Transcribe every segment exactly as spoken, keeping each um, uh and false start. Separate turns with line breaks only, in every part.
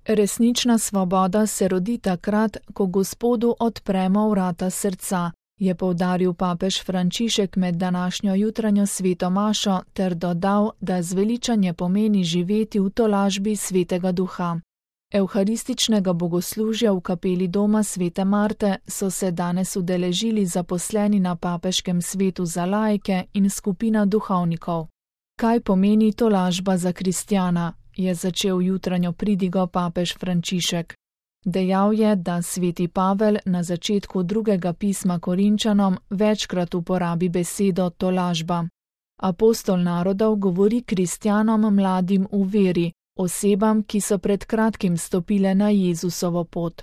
Resnična svoboda se rodi takrat, ko Gospodu odpremo vrata srca, je poudaril papež Frančišek med današnjo jutranjo sveto mašo ter dodal, da zveličanje pomeni živeti v tolažbi Svetega Duha. Evharističnega bogoslužja v kapeli doma Svete Marte so se danes udeležili zaposleni na papeškem svetu za laike in skupina duhovnikov. Kaj pomeni tolažba za kristjana, je začel jutranjo pridigo papež Frančišek. Dejal je, da sveti Pavel na začetku drugega pisma Korinčanom večkrat uporabi besedo tolažba. Apostol narodov govori kristjanom mladim v veri, osebam, ki so pred kratkim stopile na Jezusovo pot.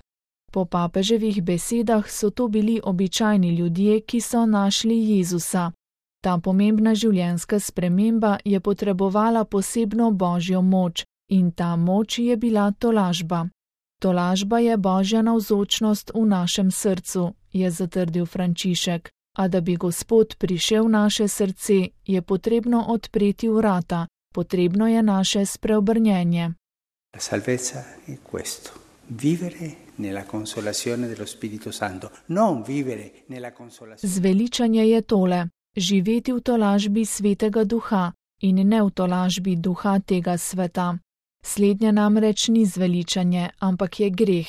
Po papeževih besedah so to bili običajni ljudje, ki so našli Jezusa. Ta pomembna življenjska sprememba je potrebovala posebno božjo moč in ta moč je bila tolažba. Tolažba je božja navzočnost v našem srcu, je zatrdil Frančišek, a da bi Gospod prišel v naše srce, je potrebno odpreti vrata, potrebno je naše spreobrnjenje.
La salvezza è questo, vivere nella consolazione dello Spirito Santo, non vivere nella consolazione.
Zveličanje je tole, živeti v tolažbi Svetega Duha in ne v tolažbi duha tega sveta. Slednje namreč ni zveličanje, ampak je greh.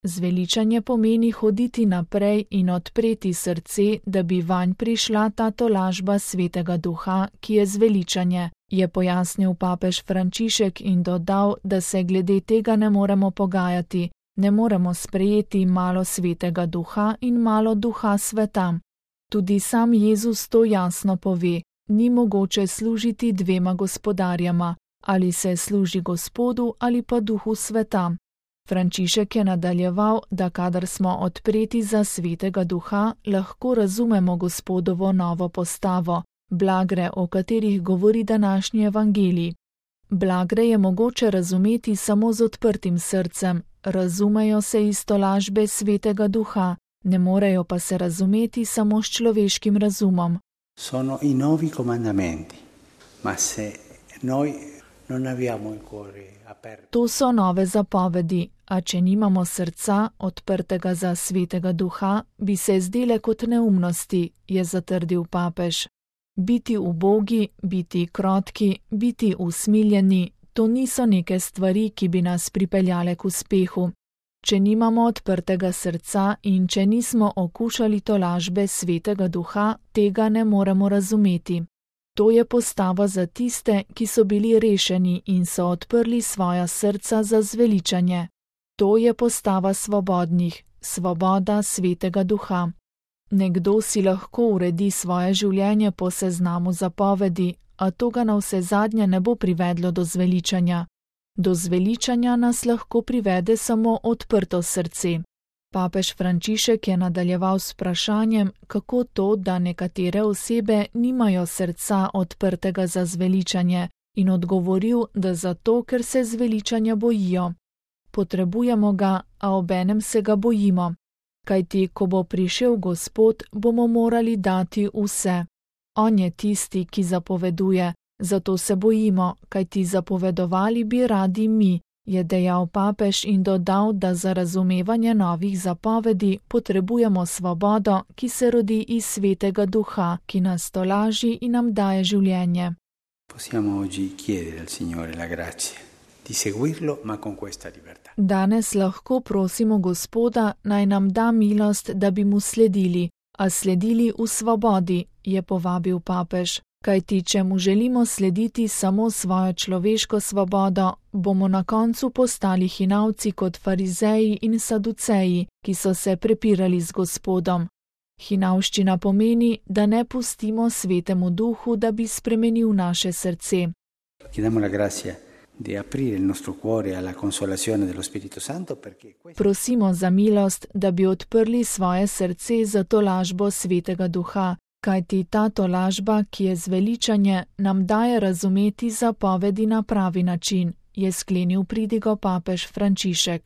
Zveličanje pomeni hoditi naprej in odpreti srce, da bi vanj prišla ta tolažba Svetega Duha, ki je zveličanje, je pojasnil papež Frančišek in dodal, da se glede tega ne moremo pogajati, ne moremo sprejeti malo Svetega Duha in malo duha sveta. Tudi sam Jezus to jasno pove, ni mogoče služiti dvema gospodarjama, ali se služi Gospodu ali pa duhu sveta. Frančišek je nadaljeval, da kadar smo odpreti za Svetega Duha, lahko razumemo Gospodovo novo postavo, blagre, o katerih govori današnji evangelij. Blagre je mogoče razumeti samo z odprtim srcem, razumejo se iz tolažbe Svetega Duha, ne morejo pa se razumeti samo s človeškim razumom.
Sono i novi comandamenti, ma se noi non abbiamo il cuore aperto.
To so nove zapovedi, a če nimamo srca odprtega za Svetega Duha, bi se zdele kot neumnosti, je zatrdil papež. Biti ubogi, biti krotki, biti usmiljeni, to niso neke stvari, ki bi nas pripeljale k uspehu. Če nimamo odprtega srca in če nismo okušali tolažbe Svetega Duha, tega ne moremo razumeti. To je postava za tiste, ki so bili rešeni in so odprli svoja srca za zveličanje. To je postava svobodnih, svoboda Svetega Duha. Nekdo si lahko uredi svoje življenje po seznamu zapovedi, a to ga navsezadnje ne bo privedlo do zveličanja. Do zveličanja nas lahko privede samo odprto srce. Papež Frančišek je nadaljeval s vprašanjem, kako to, da nekatere osebe nimajo srca odprtega za zveličanje, in odgovoril, da zato, ker se zveličanja bojijo. Potrebujemo ga, a obenem se ga bojimo. Kajti, ko bo prišel Gospod, bomo morali dati vse. On je tisti, ki zapoveduje, zato se bojimo, kajti zapovedovali bi radi mi, je dejal papež in dodal, da za razumevanje novih zapovedi potrebujemo svobodo, ki se rodi iz Svetega Duha, ki nas tolaži in nam daje življenje.
Possiamo oggi chiedere al Signore la grazia di seguirlo, ma con questa libertà.
Danes lahko prosimo Gospoda, naj nam da milost, da bi mu sledili, a sledili v svobodi, je povabil papež. Kajti, če mu želimo slediti samo svojo človeško svobodo, bomo na koncu postali hinavci kot farizeji in saduceji, ki so se prepirali z Gospodom. Hinavščina pomeni, da ne pustimo Svetemu Duhu, da bi spremenil naše srce.
Chiediamo la grazia di aprire il nostro cuore alla consolazione dello Spirito Santo perché
Prosimo za milost, da bi odprli svoje srce za tolažbo Svetega Duha, kajti ta tolažba, ki je zveličanje, nam daje razumeti zapovedi na pravi način, je sklenil pridigo papež Frančišek.